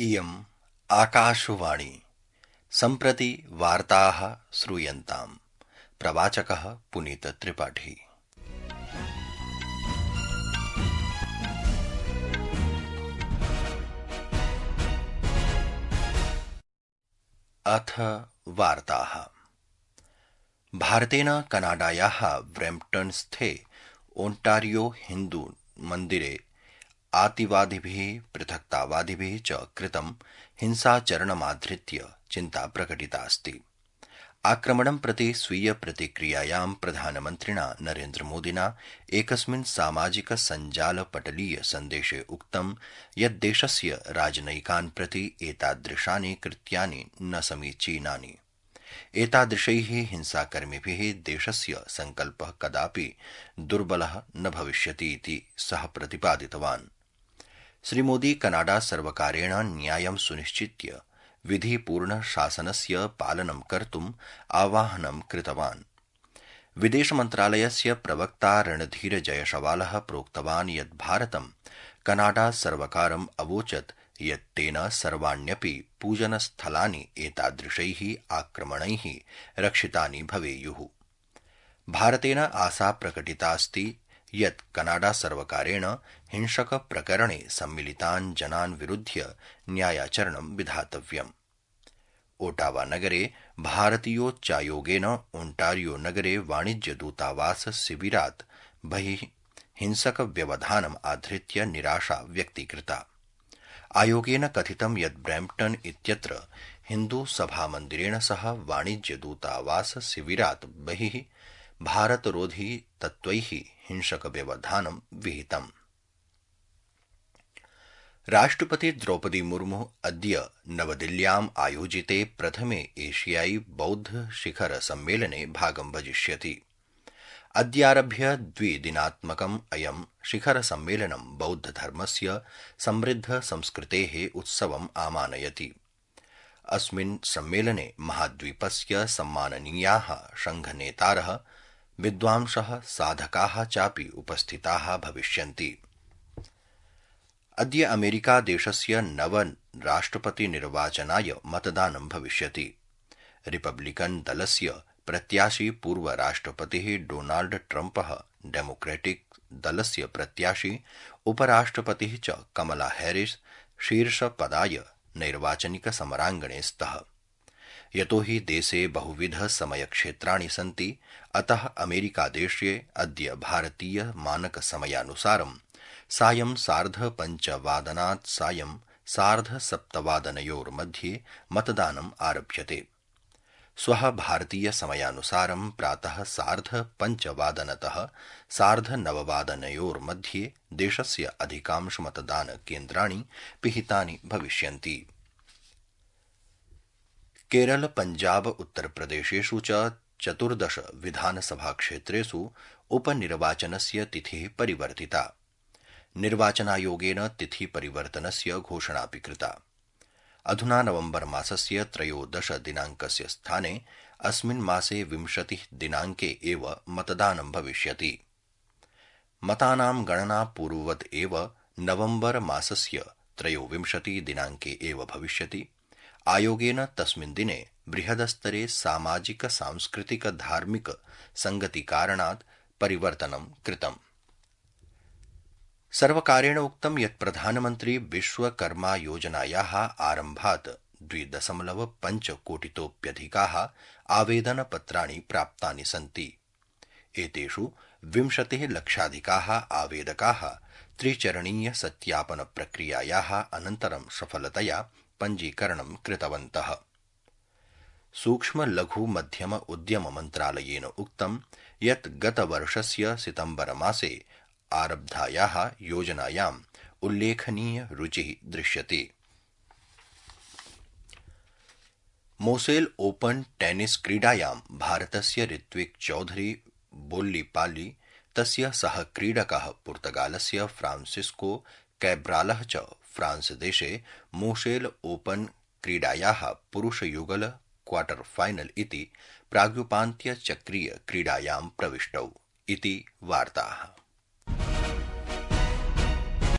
इयम् आकाशवाणी सम्प्रति वार्ताः श्रूयन्ताम्। प्रवाचकः पुनीत त्रिपाठी। अथ वार्ताः। भारतेन कनाडायाः ब्रैम्पटन स्थे ओंटारियो हिन्दू मन्दिरे आतिवादिभिः पृथक्तावादिभिः च कृतं हिंसाचरणमाधृत्य चिन्ता प्रकटिता अस्ति। आक्रमणं प्रति स्वीय प्रतिक्रियायां प्रधानमन्त्रिणा नरेन्द्रमोदिना एकस्मिन् सामाजिक सञ्जालपटलीय सन्देशे उक्तं यत् देशस्य राजनयिकान् प्रति एतादृशानि कृत्यानि न समीचीनानि। एतादृशैः हिंसाकर्मिभिः देशस्य सङ्कल्पः कदापि दुर्बलः न भविष्यति इति सः प्रतिपादितवान्। श्रीमोदी कनाडा सर्वकारेण न्यायं सुनिश्चित्य विधिपूर्ण शासनस्य पालनं कर्तुम् आह्वानं कृतवान्। विदेशमन्त्रालयस्य प्रवक्ता रणधीर जयशवालः प्रोक्तवान् यत् भारतं कनाडा सर्वकारम् अवोचत् यत् तेन सर्वाण्यपि पूजनस्थलानि एतादृशैः आक्रमणैः रक्षितानि भवेयुः। भारतेन आशा प्रकटिता अस्ति यत् कनाडा सर्वकारेण हिंसक प्रकरणे सम्मिलितान् जनान् विरुध्य न्यायाचरणं विधातव्यम्। ओटावा नगरे भारतीयोच्चायोगेन ओंटारियो नगरे वाणिज्यदूतावास शिबिरात् बहिः हिंसक व्यवधानम् आधृत्य निराशा व्यक्तीकृता। आयोगेन कथितं यत् ब्रैम्पटन इत्यत्र हिन्दू सभामन्दिरेण सह वाणिज्यदूतावास शिबिरात् बहिः भारतरोधी तत्त्वैः हिंसक व्यवधानं विहितम्। राष्ट्रपति द्रौपदी मुर्मु अद्य नवदिल्ल्याम् आयोजिते प्रथमे एशियाई बौद्ध शिखर सम्मेलने भागं भजिष्यति। अद्यारभ्य द्विदिनात्मकम् अयं शिखर सम्मेलनं बौद्धधर्मस्य समृद्ध संस्कृतेः उत्सवम् आमानयति। अस्मिन् सम्मेलने महाद्वीपस्य सम्माननीयाः संघनेतारः विद्वांसः साधकाः चापि उपस्थिताः भविष्यन्ति। अद्य अमेरिका देशस्य नवराष्ट्रपतिनिर्वाचनाय मतदानं भविष्यति। रिपब्लिकन दलस्य प्रत्याशी पूर्वराष्ट्रपतिः डोनाल्ड ट्रम्पः डेमोक्रेटिक दलस्य प्रत्याशी उपराष्ट्रपतिः च कमला हैरिस शीर्षपदाय नैर्वाचनिकसमराङ्गणे स्तः। यतो हि देशे बहुविध समयक्षेत्राणि सन्ति, अतः अमेरिकादेशे अद्य भारतीय मानकसमयानुसारं सायं 5:30 सायं 7:30 मतदानम् आरभ्यते। श्वः भारतीय समयानुसारं प्रातः 5:30 9:30 देशस्य अधिकांश मतदानकेन्द्राणि पिहितानि भविष्यन्ति। केरल, पंजाब, उत्तरप्रदेशेषु च 14 विधानसभाक्षेत्रेषु उपनिर्वाचनस्य तिथिः परिवर्तिता। निर्वाचनायोगेन तिथिपरिवर्तनस्य घोषणापि कृता। अधुना नवम्बर मासस्य 13 दिनाङ्कस्य स्थाने अस्मिन् मासे 20 दिनाङ्के एव मतदानं भविष्यति। मतानां गणना पूर्ववत् एव नवम्बर मासस्य 23 दिनाङ्के एव भविष्यति। आयोगेन तस्मिन् दिने बृहदस्तरे सामाजिक सांस्कृतिक धार्मिक संगतिकारणात् परिवर्तनं कृतम्। सर्वकारेण उक्तं यत् प्रधानमन्त्री विश्वकर्मा योजनायाः आरम्भात् 2.5 कोटितोऽप्यधिकाः आवेदनपत्राणि प्राप्तानि सन्ति। एतेषु 20 लक्षाधिकाः आवेदकाः त्रिचरणीय सत्यापन प्रक्रियायाः अनन्तरं सफलतया पञ्जीकरणं कृतवन्तः। सूक्ष्म लघु मध्यम उद्यम मन्त्रालयेन उक्तं यत् गतवर्षस्य सितम्बर मासे आरब्धायाः योजनायाम् उल्लेखनीय रुचिः दृश्यते। मोसेल ओपन टेनिस क्रीडायां भारतस्य ऋत्विक चौधरी बोल्लिपाल्ली, तस्य सहक्रीडकः पुर्तगालस्य फ्रांसिस्को कैब्रालः च फ्रांस देशे मोसेल ओपन क्रीडायाः पुरुषयुगल क्वार्टर फाइनल इति प्राग्युपान्त्यचक्रीय क्रीडायां प्रविष्टौ इति वार्ताः।